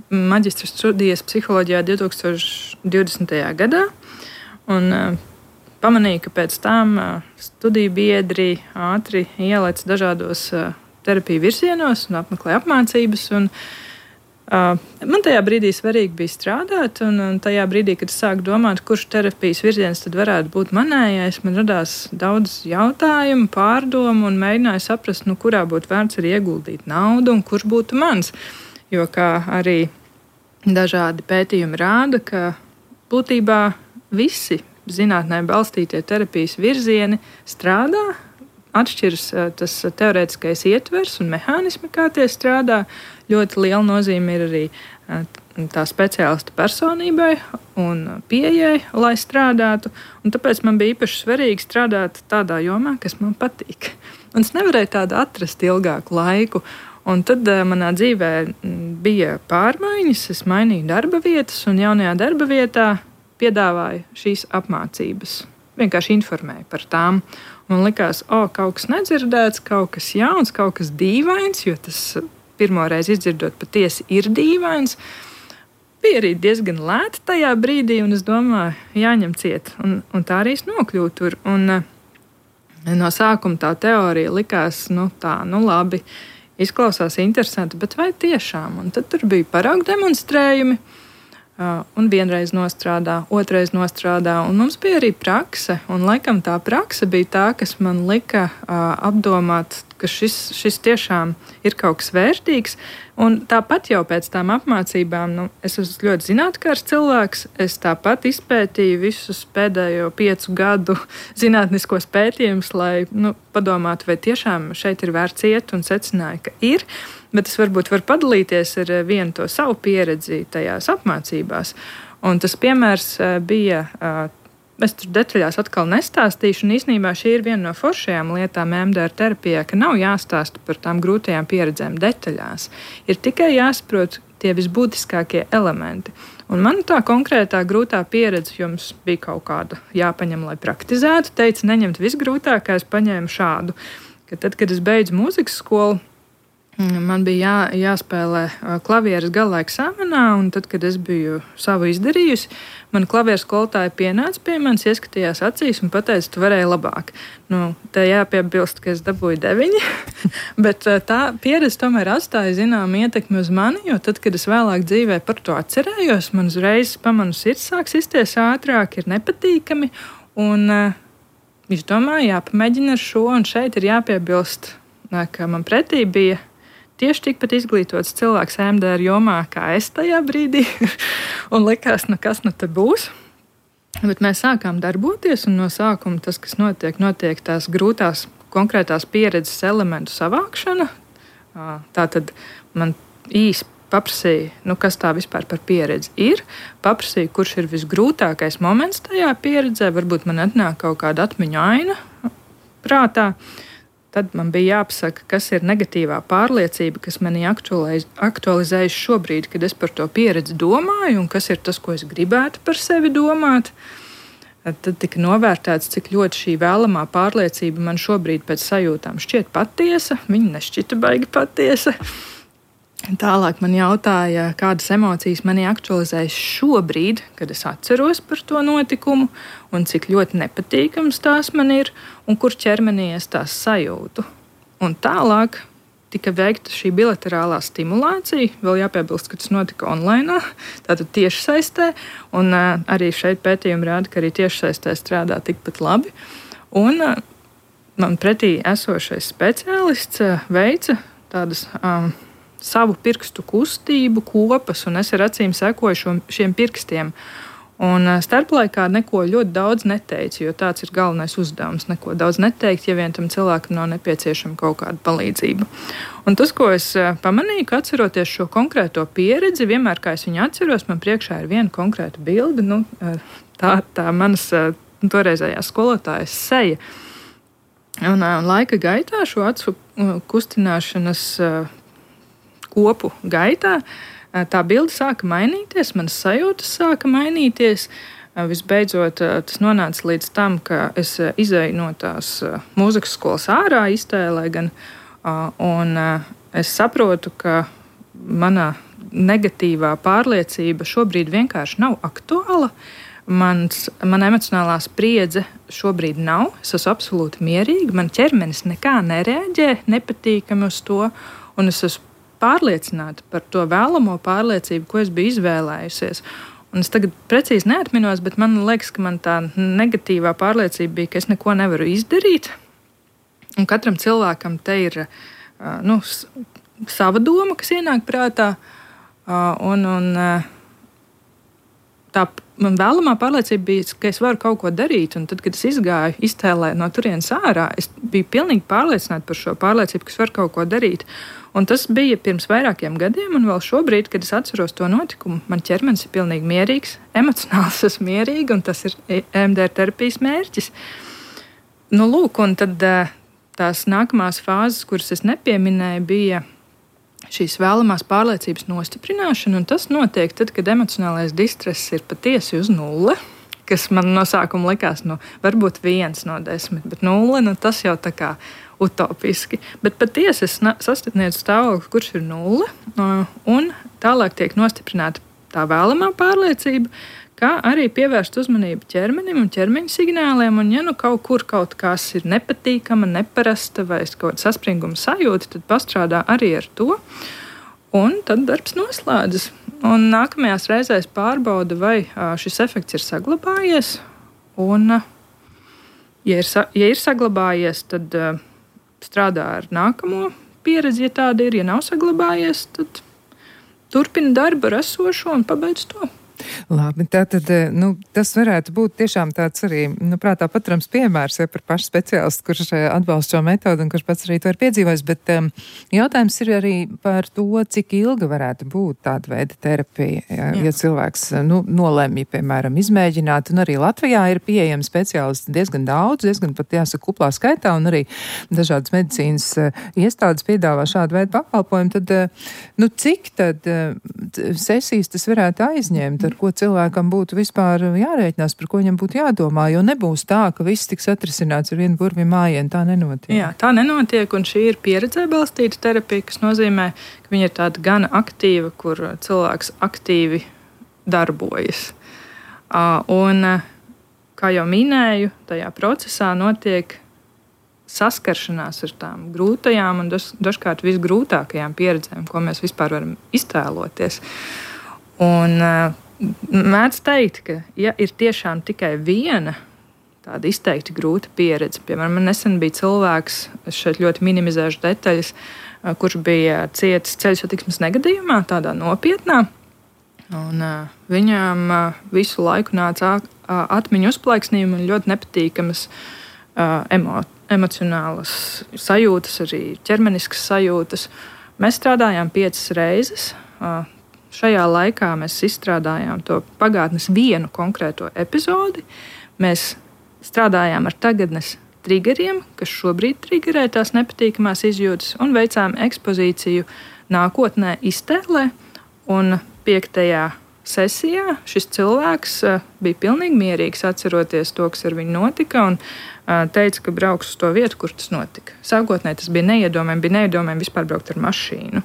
maģistra studijas psiholoģijā divtūkstoš divdesmitajā gadā un uh, pamanīju, ka pēc tam uh, studiju biedri ātri ielēc dažādos uh, terapiju virzienos un apmeklē apmācības un Uh, man tajā brīdī svarīgi bija strādāt, un, un tajā brīdī, kad es sāku domāt, kurš terapijas virziens tad varētu būt manējais, man radās daudz jautājumu, pārdomu un mēģināju saprast, nu, kurā būtu vērts arī ieguldīt naudu un kurš būtu mans. Jo kā arī dažādi pētījumi rāda, ka būtībā visi zinātnē balstītie terapijas virzieni strādā, atšķiras tas teorētiskais ietvers un mehānismi, kā tie strādā. Ļoti liela nozīme ir arī tā speciālista personībai un pieejai, lai strādātu. Un tāpēc man bija īpaši svarīgi strādāt tādā jomā, kas man patīk. Un es nevarēju tādu atrast ilgāku laiku. Un tad uh, manā dzīvē bija pārmaiņas, es mainīju darba vietas un jaunajā darba vietā piedāvāju šīs apmācības. Vienkārši informēju par tām. Man likās, o, kaut kas nedzirdēts, kaut kas jauns, kaut kas dīvains, jo tas pirmoreiz izdzirdot patiesi ir dīvains. Bija arī diezgan lēti tajā brīdī, un es domāju, jāņem ciet. Un, un tā arī es nokļuvu tur. Un no sākuma tā teorija likās, nu tā, nu labi, izklausās interesanti, bet vai tiešām? Un tad tur bija paraugu demonstrējumi. Un vienreiz nostrādā, otrais nostrādā, un mums bija arī prakse. Un laikam tā prakse bija tā, kas man lika uh, apdomāt, ka šis, šis tiešām ir kaut kas vērtīgs. Un tāpat jau pēc tām apmācībām, nu, es esmu ļoti zinātnīgs cilvēks. Es tāpat izpētīju visus pēdējo piecu gadu zinātniskos pētījumus, lai nu, padomātu, vai tiešām šeit ir vērts iet, un secināju, ka ir. Bet es varbūt varu padalīties ar vienu to savu pieredzi tajās apmācībās. Un tas piemērs bija. Es tur detaļās atkal nestāstīšu, un īstenībā šī ir viena no foršajām lietām E M D R terapijā, ka nav jāstāsta par tām grūtajām pieredzēm detaļās. Ir tikai jāsaprot tie visbūtiskākie elementi. Un man tā konkrētā grūtā pieredze jums bija kaut kāda jāpaņem, lai praktizētu. Teica, neņemt visgrūtākais, paņēmu šādu. Ka tad, kad es beidzu mūzikas skolu, man bija jā, jāspēlē klavieres gala eksāmenā, un tad, kad es biju savu izdarījusi, mana klavieres skolotāja pienāca pie manis, ieskatījās acīs un pateica, tu varēji labāk. Nu, te jāpiebilst, ka es dabūju deviņi, bet tā pieredze tomēr atstāja zināmu ietekmi uz mani, jo tad, kad es vēlāk dzīvē par to atcerējos, man uzreiz pamanu sirds sāk sisties ātrāk, ir nepatīkami, un es domāju, jāpamēģina ar šo, un šeit ir jāpiebilst, ka man pretī bija tieši tikpat izglītots cilvēks E M D R jomā, kā es tajā brīdī, un likās, nu kas nu te būs. Bet mēs sākām darboties, un no sākuma tas, kas notiek, notiek tās grūtās konkrētās pieredzes elementu savākšana. Tātad man īsi paprasīja, nu kas tā vispār par pieredzi ir, paprasīja, kurš ir visgrūtākais moments tajā pieredzē, varbūt man atnāk kaut kāda atmiņu aina prātā. Tad man bija jāpasaka, kas ir negatīvā pārliecība, kas manī aktualiz, aktualizējas šobrīd, kad es par to pieredzi domāju, un kas ir tas, ko es gribētu par sevi domāt. Tad tika novērtēts, cik ļoti šī vēlamā pārliecība man šobrīd pēc sajūtām šķiet patiesa. Viņa nešķita baigi patiesa. Tālāk man jautāja, kādas emocijas manī aktualizējas šobrīd, kad es atceros par to notikumu, un cik ļoti nepatīkams tās man ir, un kur ķermenī es tās sajūtu. Un tālāk tika veikta šī bilaterālā stimulācija, vēl jāpiebilst, ka tas notika online, tātad tiešsaistē, un uh, arī šeit pētījumi rāda, ka arī tiešsaistē strādā tikpat labi. Un uh, man pretī esošais speciālists uh, veica tādas um, savu pirkstu kustību kopas, un es ar acīm sekoju šo, šiem pirkstiem. Un starplaikā neko ļoti daudz neteicu, jo tāds ir galvenais uzdevums. Neko daudz neteikt, ja vien tam cilvēkam nav nepieciešama kaut kāda palīdzība. Un tas, ko es pamanīju, ka atceroties šo konkrēto pieredzi, vienmēr, kā es viņu atceros, man priekšā ir viena konkrēta bilde, nu, tā, tā manas toreizējās skolotājas seja. Un, un laika gaitā šo acu kustināšanas kopu gaitā tā bilde sāka mainīties, manas sajūtas sāka mainīties. Visbeidzot, tas nonāca līdz tam, ka es izēju no tās mūzikas skolas ārā iztēlē gan, un es saprotu, ka mana negatīvā pārliecība šobrīd vienkārši nav aktuāla. Mans, mana emocionālā spriedze šobrīd nav, es esmu absolūti mierīga, man ķermenis nekā nereaģē nepatīkami uz to, un es esmu pārliecināta par to vēlamo pārliecību, ko es biju izvēlējusies. Un es tagad precīzi neatminos, bet man liekas, ka man tā negatīvā pārliecība bija, ka es neko nevaru izdarīt. Un katram cilvēkam te ir nu, sava doma, kas ienāk prātā. Un, un tā man vēlamā pārliecība bija, ka es varu kaut ko darīt. Un tad, kad es izgāju iztēlē no turienes ārā, es biju pilnīgi pārliecināta par šo pārliecību, ka es varu kaut ko darīt. Un tas bija pirms vairākiem gadiem, un vēl šobrīd, kad es atceros to notikumu, man ķermenis ir pilnīgi mierīgs, emocionāls esmu mierīga, un tas ir E M D R terapijas mērķis. Nu, lūk, un tad tās nākamās fāzes, kuras es nepieminēju, bija šīs vēlamās pārliecības nostiprināšana, un tas notiek tad, kad emocionālais distress ir patiesi uz nulle, kas man no sākuma likās, nu, varbūt viens no desmit, bet nulle, nu, tas jau tā kā utopiski. Bet patiesi es sasniedzu stāvokli, kurš ir nulle, un tālāk tiek nostiprināta tā vēlamā pārliecība, kā arī pievērst uzmanību ķermenim un ķermeņa signāliem, un ja nu kaut kur kaut kas ir nepatīkama, neparasta vai kaut kāda saspringuma sajūta, tad pastrādā arī ar to, un tad darbs noslēdzas. Un nākamajās reizēs pārbauda, vai šis efekts ir saglabājies, un ja ir, ja ir saglabājies, tad strādā ar nākamo pieredzi, ja tāda ir, ja nav saglabājies, tad turpina darbu ar esošo un pabeidz to. Labi, tātad, nu, tas varētu būt tiešām tāds arī, nu, prātā paturams piemērs, ja par pašu speciālistu, kurš atbalsta šo metodu un kurš pats arī to ir piedzīvojis, bet um, jautājums ir arī par to, cik ilga varētu būt tāda veida terapija, ja, ja cilvēks, nu, nolemj, piemēram, izmēģināt, un arī Latvijā ir pieejami speciālisti diezgan daudz, diezgan pat jāsaka kuplā skaitā, un arī dažādas medicīnas uh, iestādes piedāvā šādu veidu pakalpojumu, tad, uh, nu, cik tad uh, sesijas tas varētu aizņemt, ar ko cilvēkam būtu vispār jārēķinās, par ko viņam būtu jādomā, jo nebūs tā, ka viss tiks atrisināts ar vienu burvju mājienu, tā nenotiek. Jā, tā nenotiek, un šī ir pieredzē balstīta terapija, kas nozīmē, ka viņa ir tāda gana aktīva, kur cilvēks aktīvi darbojas. Un, kā jau minēju, tajā procesā notiek saskaršanās ar tām grūtajām un dažkārt visgrūtākajām pieredzēm, ko mēs vispār varam iztēloties. Un mēdz teikt, ka ja ir tiešām tikai viena tāda izteikti grūta pieredze, piemēram, man nesen bija cilvēks, es šeit ļoti minimizēšu detaļas, kurš bija cietis ceļu satiksmes negadījumā, tādā nopietnā, un uh, viņam uh, visu laiku nāca uh, atmiņu uzplaiksnījumi un ļoti nepatīkamas uh, emo, emocionālas sajūtas, arī ķermeniskas sajūtas. Mēs strādājām piecas reizes. Uh, Šajā laikā mēs izstrādājām to pagātnes vienu konkrēto epizodi. Mēs strādājām ar tagadnes triggeriem, kas šobrīd triggerē tās nepatīkamās izjūtas, un veicām ekspozīciju nākotnē iztēlē. Un piektajā sesijā šis cilvēks bija pilnīgi mierīgs, atceroties to, kas ar viņu notika, un teica, ka brauks uz to vietu, kur tas notika. Sākotnēji tas bija neiedomājami, bija neiedomājami vispār braukt ar mašīnu.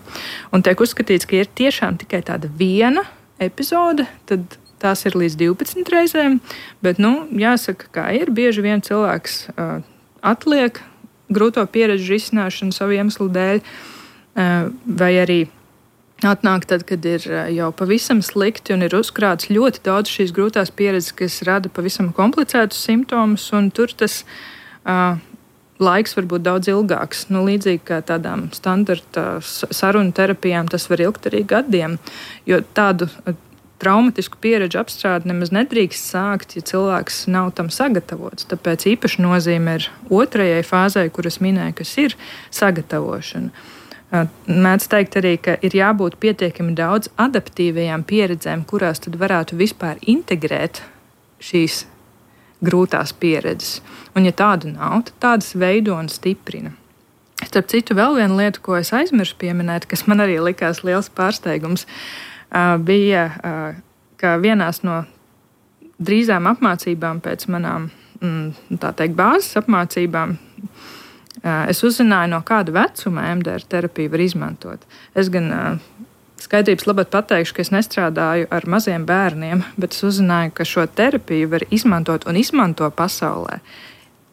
Un tiek uzskatīts, ka ir tiešām tikai tāda viena epizode, tad tās ir līdz divpadsmit reizēm, bet, nu, jāsaka, kā ir, bieži vien cilvēks uh, atliek grūto pieredžu risināšanu savu iemeslu dēļ, uh, vai arī atnāk tad, kad ir jau pavisam slikti un ir uzkrāts ļoti daudz šīs grūtās pieredzes, kas rada pavisam komplicētus simptomus, un tur tas uh, laiks var būt daudz ilgāks. Nu, līdzīgi kā tādām standarta sarunu terapijām, tas var ilgt arī gadiem, jo tādu uh, traumatisku pieredžu apstrādi nemaz nedrīkst sākt, ja cilvēks nav tam sagatavots. Tāpēc īpaši nozīme ir otrajai fāzei, kuras minēju, kas ir sagatavošana. Mēdz teikt arī, ka ir jābūt pietiekami daudz adaptīvajām pieredzēm, kurās tad varētu vispār integrēt šīs grūtās pieredzes. Un ja tādu nav, tad tādas veido un stiprina. Starp citu, vēl viena lieta, ko es aizmirsu pieminēt, kas man arī likās liels pārsteigums, bija, ka vienās no drīzām apmācībām pēc manām, tā teikt, bāzes apmācībām, es uzzināju, no kāda vecuma E M D R terapiju var izmantot. Es gan skaidrības labāk pateikšu, ka es nestrādāju ar maziem bērniem, bet es uzzināju, ka šo terapiju var izmantot un izmanto pasaulē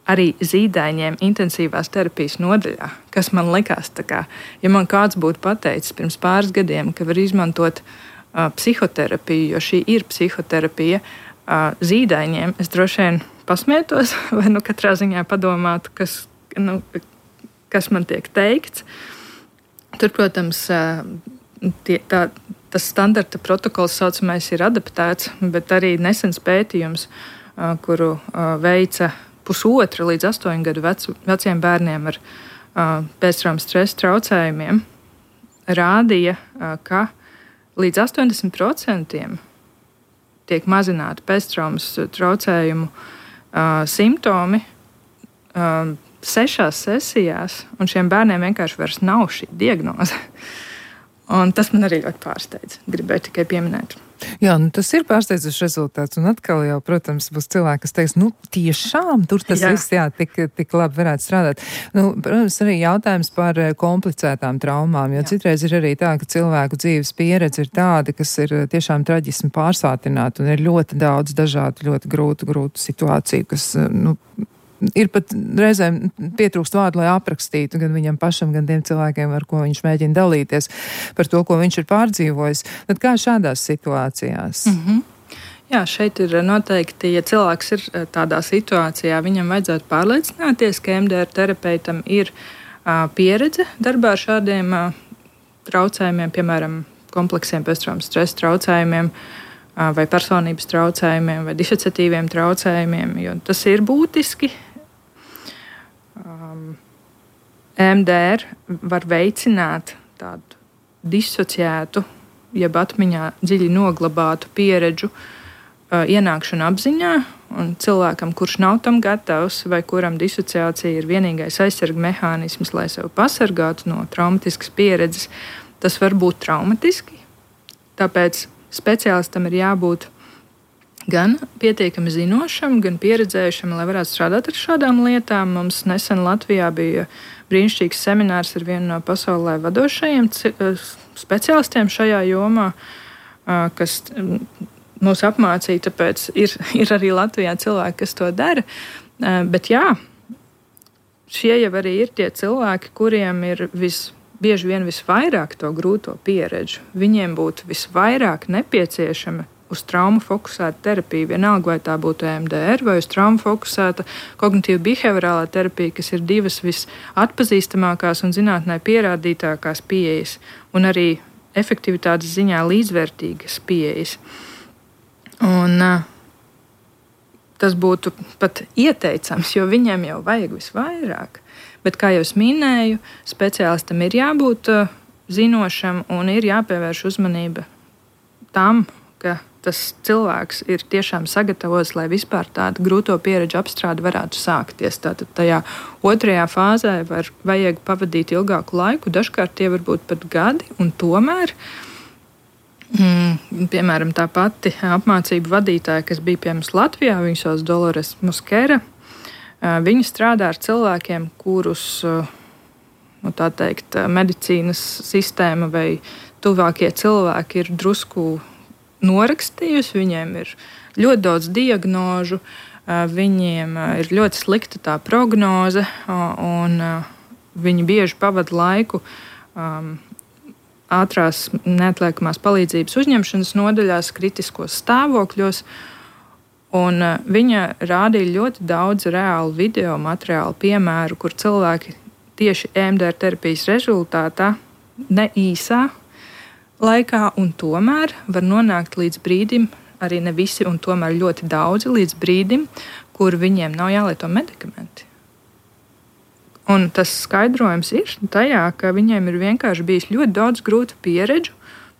arī zīdaiņiem intensīvās terapijas nodaļā, kas man likās tā kā, ja man kāds būtu pateicis pirms pāris gadiem, ka var izmantot uh, psihoterapiju, jo šī ir psihoterapija uh, zīdaiņiem, es droši vien pasmietos vai nu katrā ziņā padomātu, kas Nu, kas man tiek teikts. Tur, protams, tie, tā, tas standarta protokols saucamais ir adaptēts, bet arī nesens pētījums, kuru veica pusotra līdz astoņu gadu vecu, veciem bērniem ar pēctraumas stresa traucējumiem, rādīja, ka līdz astoņdesmit procentiem tiek mazināti pēctraumas traucējumu simptomi sešās sesijās, un šiem bērniem vienkārši vairs nav šī diagnoze. Un tas man arī ļoti pārsteidz. Gribēju tikai pieminēt. Jā, nu tas ir pārsteidzošs rezultāts, un atkal jau, protams, būs cilvēki, kas teiks, nu tiešām tur tas jā. viss, jā, tik, tik labi varētu strādāt. Nu, protams, arī jautājums par komplicētām traumām, jo jā. citreiz ir arī tā, ka cilvēku dzīves pieredze ir tāda, kas ir tiešām traģismi pārsātināta, un ir ļoti daudz dažādu, ļoti grūtu, grūtu situāciju, kas, nu, ir pat reizēm pietrūkst vārdu, lai aprakstītu gan viņam pašam, gan tiem cilvēkiem, ar ko viņš mēģina dalīties par to, ko viņš ir pārdzīvojis. Tad kā šādās situācijās? Mm-hmm. Jā, šeit ir noteikti, ja cilvēks ir tādā situācijā, viņam vajadzētu pārliecināties, ka E M D R terapeitam ir pieredze darbā ar šādiem traucējumiem, piemēram, kompleksiem pēctraumas stresa traucējumiem, vai personības traucējumiem, vai disociatīviem traucējumiem, jo tas ir būtiski. Um, E M D R var veicināt tādu disociētu, jeb atmiņā dziļi noglabātu pieredžu uh, ienākšanu apziņā, un cilvēkam, kurš nav tam gatavs, vai kuram disociācija ir vienīgais aizsarga mehānisms, lai sevi pasargātu no traumatiskas pieredzes, tas var būt traumatiski. Tāpēc speciālistam ir jābūt gan pietiekami zinošam, gan pieredzējušam, lai varētu strādāt ar šādām lietām. Mums nesen Latvijā bija brīnišķīgs seminārs ar vienu no pasaulē vadošajiem speciālistiem šajā jomā, kas mūs apmācīja, tāpēc ir, ir arī Latvijā cilvēki, kas to dara. Bet jā, šie jau arī ir tie cilvēki, kuriem ir vis, bieži vien visvairāk to grūto pieredžu. Viņiem būtu visvairāk nepieciešama uz traumu fokusēta terapija, vienalga vai tā būtu E M D R vai uz traumu fokusēta kognitīva behaviorālā terapija, kas ir divas visatpazīstamākās un zinātnē pierādītākās pieejas, un arī efektivitātes ziņā līdzvērtīgas pieejas. Un uh, tas būtu pat ieteicams, jo viņiem jau vajag visvairāk. Bet, kā jau es minēju, speciālistam ir jābūt uh, zinošam un ir jāpievērš uzmanība tam, ka tas cilvēks ir tiešām sagatavots, lai vispār tādu grūto pieredžu apstrāde varētu sākties. Tātad tajā otrajā fāzē var, vajag pavadīt ilgāku laiku, dažkārt tie var būt pat gadi, un tomēr, mm, piemēram, tā pati apmācību vadītāja, kas bija pie mums Latvijā, viņa sauc Dolores Muskera, viņa strādā ar cilvēkiem, kurus, nu, tā teikt, medicīnas sistēma vai tuvākie cilvēki ir drusku norakstījusi, viņiem ir ļoti daudz diagnožu, viņiem ir ļoti slikta tā prognoze, un viņi bieži pavada laiku ātrās neatliekamās palīdzības uzņemšanas nodaļās, kritiskos stāvokļos, un viņa rādīja ļoti daudz reālu video materiālu piemēru, kur cilvēki tieši E M D R terapijas rezultātā ne īsā laikā, un tomēr var nonākt līdz brīdim, arī ne visi, un tomēr ļoti daudzi līdz brīdim, kur viņiem nav jālieto medikamenti. Un tas skaidrojums ir tajā, ka viņiem ir vienkārši bijis ļoti daudz grūtu pieredžu,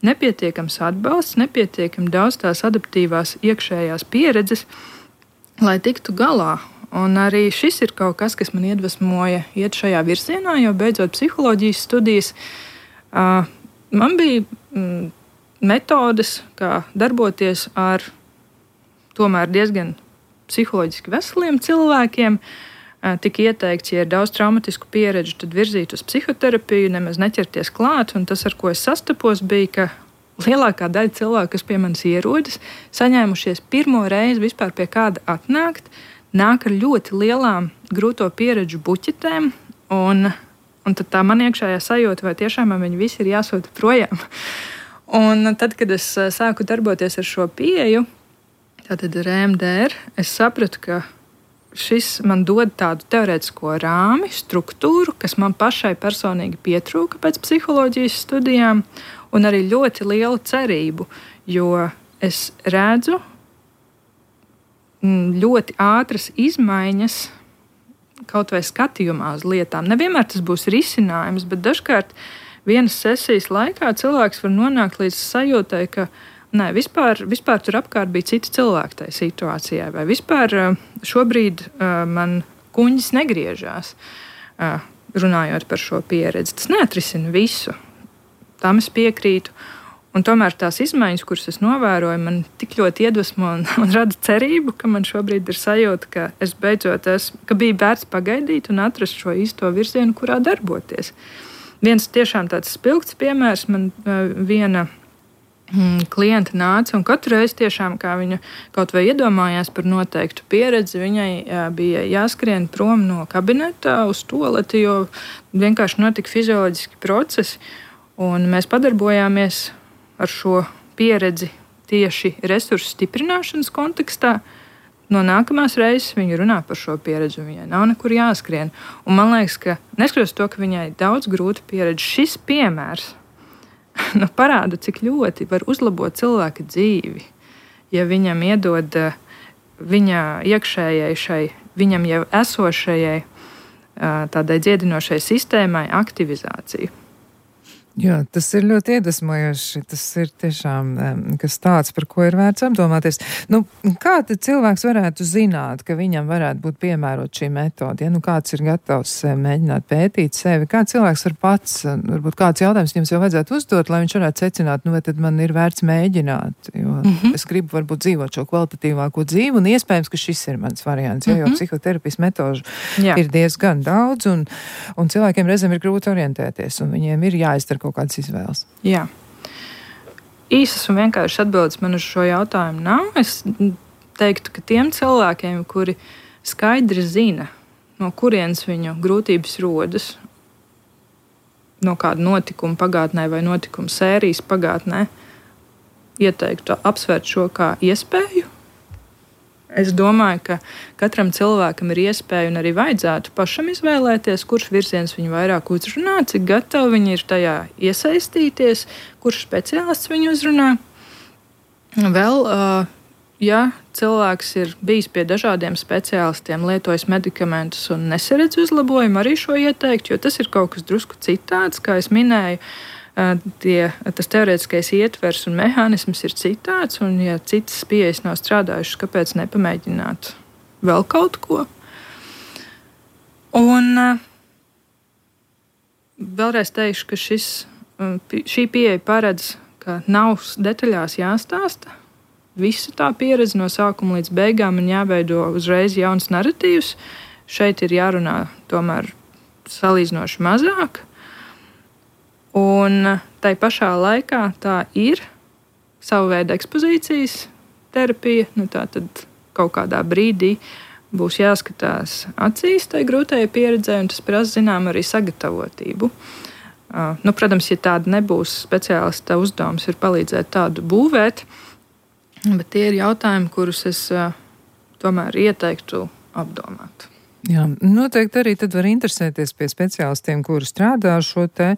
nepietiekams atbalsts, nepietiekami daudz tās adaptīvās iekšējās pieredzes, lai tiktu galā. Un arī šis ir kaut kas, kas man iedvesmoja iet šajā virzienā, jo beidzot psiholoģijas studijas, uh, man bija mm, metodes, kā darboties ar tomēr diezgan psiholoģiski veseliem cilvēkiem. Tika ieteikts, ja ir daudz traumatisku pieredžu, tad virzīt uz psihoterapiju, nemaz neķerties klāt. Un tas, ar ko es sastapos, bija, ka lielākā daļa cilvēku, kas pie manis ierodas, saņēmušies pirmo reizi vispār pie kāda atnākt, nāk ar ļoti lielām grūto pieredžu buķetēm, un Un tad tā man iekšējā sajūta, vai tiešām man viņi visi ir jāsūta projām. Un tad, kad es sāku darboties ar šo pieeju, tātad ar E M D R, es sapratu, ka šis man dod tādu teorētisko rāmi, struktūru, kas man pašai personīgi pietrūka pēc psiholoģijas studijām, un arī ļoti lielu cerību, jo es redzu ļoti ātras izmaiņas kaut vai skatījumā uz lietām. Nevienmēr tas būs risinājums, bet dažkārt vienas sesijas laikā cilvēks var nonākt līdz sajūtai, ka nē, vispār, vispār tur apkārt bija citi cilvēki tajā situācijā, vai vispār šobrīd uh, man kuņģis negriežās, uh, runājot par šo pieredzi. Tas neatrisina visu. Tam es piekrītu. Un tomēr tās izmaiņas, kuras es novēroju, man tik ļoti iedvesmo un, un rada cerību, ka man šobrīd ir sajūta, ka es beidzot esmu, ka bija vērts pagaidīt un atrast šo īsto virzienu, kurā darboties. Viens tiešām tāds spilgts piemērs, man uh, viena mm, klienta nāca, un katru reizi tiešām, kā viņa kaut vai iedomājās par noteiktu pieredzi, viņai uh, bija jāskrien prom no kabineta uz toaleti, jo vienkārši notika fizioloģiski procesi, un mēs padarbojāmies ar šo pieredzi tieši resursu stiprināšanas kontekstā. no nākamās reizes viņa runā par šo pieredzi, un viņai nav nekur jāskrien. Un man liekas, ka neskatoties to, ka viņai daudz grūta pieredze, šis piemērs nu, parāda, cik ļoti var uzlabot cilvēka dzīvi, ja viņam iedod viņa iekšējai šai, viņam jau esošajai tādai dziedinošai sistēmai aktivizāciju. Jā, tas ir ļoti iedvesmojoši. Tas ir tiešām kas tāds, par ko ir vērts apdomāties. Nu, kā tad cilvēks varētu zināt, ka viņam varētu būt piemērot šī metode? Ja nu kāds ir gatavs mēģināt pētīt sevi, kā cilvēks var pats, varbūt kāds jautājums jums jau vajadzētu uzdot, lai viņš varētu secināt, nu vai tad man ir vērts mēģināt, jo mm-hmm. es gribu varbūt dzīvot šo kvalitatīvāko dzīvi, un iespējams, ka šis ir mans variants, ja, jo mm-hmm. psihoterapijas metožu Jā. Ir diezgan daudz, un, un cilvēkiem reizēm ir grūti orientēties, un viņiem ir jāizdara kaut kādas izvēles. Jā. Īsas un vienkāršas atbildes man uz šo jautājumu nav. Es teiktu, ka tiem cilvēkiem, kuri skaidri zina, no kurienes viņu grūtības rodas, no kāda notikuma pagātnē vai notikuma sērijas pagātnē, ieteiktu apsvērt šo kā iespēju. Es domāju, ka katram cilvēkam ir iespēja un arī vajadzētu pašam izvēlēties, kurš virziens viņu vairāk uzrunā, cik gatavi viņi ir tajā iesaistīties, kurš speciālists viņu uzrunā. Vēl, ja cilvēks ir bijis pie dažādiem speciālistiem, lietojis medikamentus un nesaredz uzlabojumu, arī šo ieteikt, jo tas ir kaut kas drusku citāds, kā es minēju. Tie, tas teorētiskais ietvers un mehānisms ir citāds, un ja citas pieejas nav strādājušas, kāpēc nepamēģināt vēl kaut ko? Un vēlreiz teikšu, ka šis, šī pieeja paredz, ka nav detaļās jāstāsta visa tā pieredze no sākuma līdz beigām un jāveido uzreiz jauns narratīvs. Šeit ir jārunā tomēr salīdzinoši mazāk. Un tai pašā laikā tā ir sava veida ekspozīcijas terapija. Nu, tā tad kaut kādā brīdī būs jāskatās acīs tai grūtajai pieredzē, un tas prasa zinām arī sagatavotību. Uh, nu, protams, ja tāda nebūs, speciālista uzdevums ir palīdzēt tādu būvēt, bet tie ir jautājumi, kurus es uh, tomēr ieteiktu apdomāt. Jā, noteikti arī tad var interesēties pie speciālistiem, kuri strādā šo te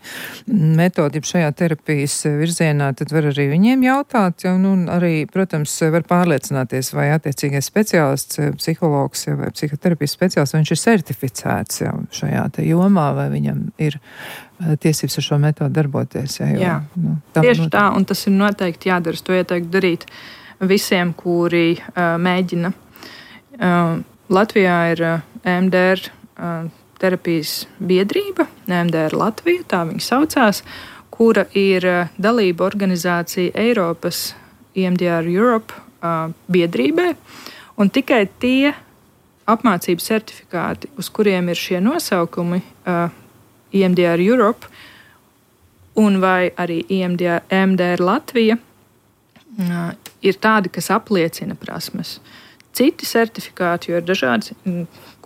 metodi šajā terapijas virzienā, tad var arī viņiem jautāt, ja, un arī, protams, var pārliecināties, vai attiecīgais speciālists, psihologs vai psihoterapijas speciālists, vai viņš ir certificēts jau šajā te jomā, vai viņam ir tiesības ar šo metodu darboties. Ja, jo, Jā, nu, tā, tieši noteikti. tā, un tas ir noteikti jādara. To ieteiktu darīt visiem, kuri uh, mēģina. Uh, Latvijā ir uh, E M D R uh, terapijas biedrība, E M D R Latvija, tā viņa saucās, kura ir uh, dalība organizācija Eiropas E M D R Europe uh, biedrībai, un tikai tie apmācības certifikāti, uz kuriem ir šie nosaukumi, uh, E M D R Europe un vai arī E M D R, E M D R Latvija, uh, ir tādi, kas apliecina prasmes. Citi certifikāti, jo ir dažādi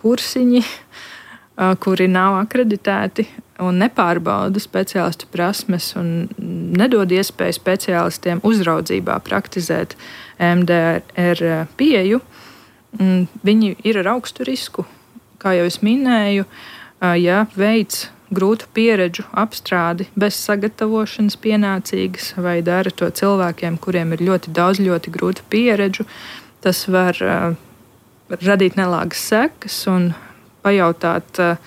kursiņi, kuri nav akreditēti un nepārbauda speciālistu prasmes un nedod iespēju speciālistiem uzraudzībā praktizēt E M D R pieeju. Viņi ir ar augstu risku. Kā jau es minēju, ja veids grūtu pieredžu apstrādi bez sagatavošanas pienācīgas vai dara to cilvēkiem, kuriem ir ļoti daudz ļoti grūtu pieredžu, tas var uh, radīt nelāgas sekas un pajautāt, uh,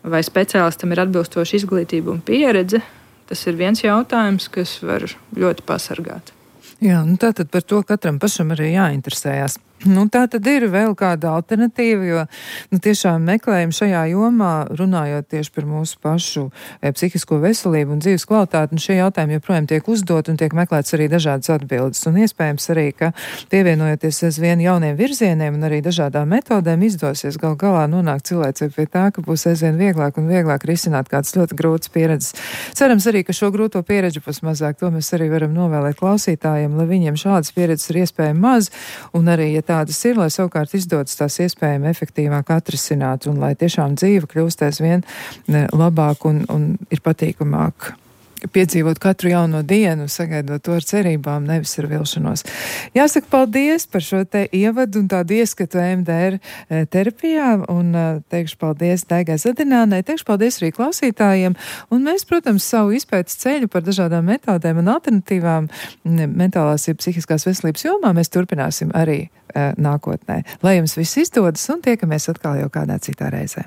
vai speciālistam ir atbilstoša izglītība un pieredze. Tas ir viens jautājums, kas var ļoti pasargāt. Jā, nu tātad par to katram pašam arī jāinteresējās. Nu, tā tad ir vēl kāda alternatīva, jo nu, tiešām meklējumi šajā jomā, runājot tieši par mūsu pašu e, psihisko veselību un dzīves kvalitāti, un šie jautājumi joprojām tiek uzdot un tiek meklēts arī dažādas atbildes. Un iespējams arī, ka pievienojoties aizvien jauniem virzieniem un arī dažādām metodēm izdosies gal galā nonākt cilvēcei pie tā, ka būs aizvien vieglāk un vieglāk risināt kādas ļoti grūtas pieredzes. Cerams arī, ka šo grūto pieredzi būs mazāk. To mēs arī varam novēlēt klausītājiem, lai viņiem šādas pieredzes ir iespējami maz, un arī, ja tādas ir, lai savukārt izdodas tās iespējami efektīvāk atrisināt un lai tiešām dzīve kļūst aizvien labāk un, un ir patīkamāk piedzīvot katru jauno dienu, sagaidot to ar cerībām, nevis ar vilšanos. Jāsaka paldies par šo te ievadu un tādu ieskatu E M D R terapijā, un teikšu paldies Daigai Zadinānai, teikšu paldies arī klausītājiem, un mēs, protams, savu izpētes ceļu par dažādām metodēm un alternatīvām mentālās ir psihiskās veselības jomā mēs turpināsim arī uh, nākotnē. Lai jums viss izdodas un tiekamies atkal jau kādā citā reizē.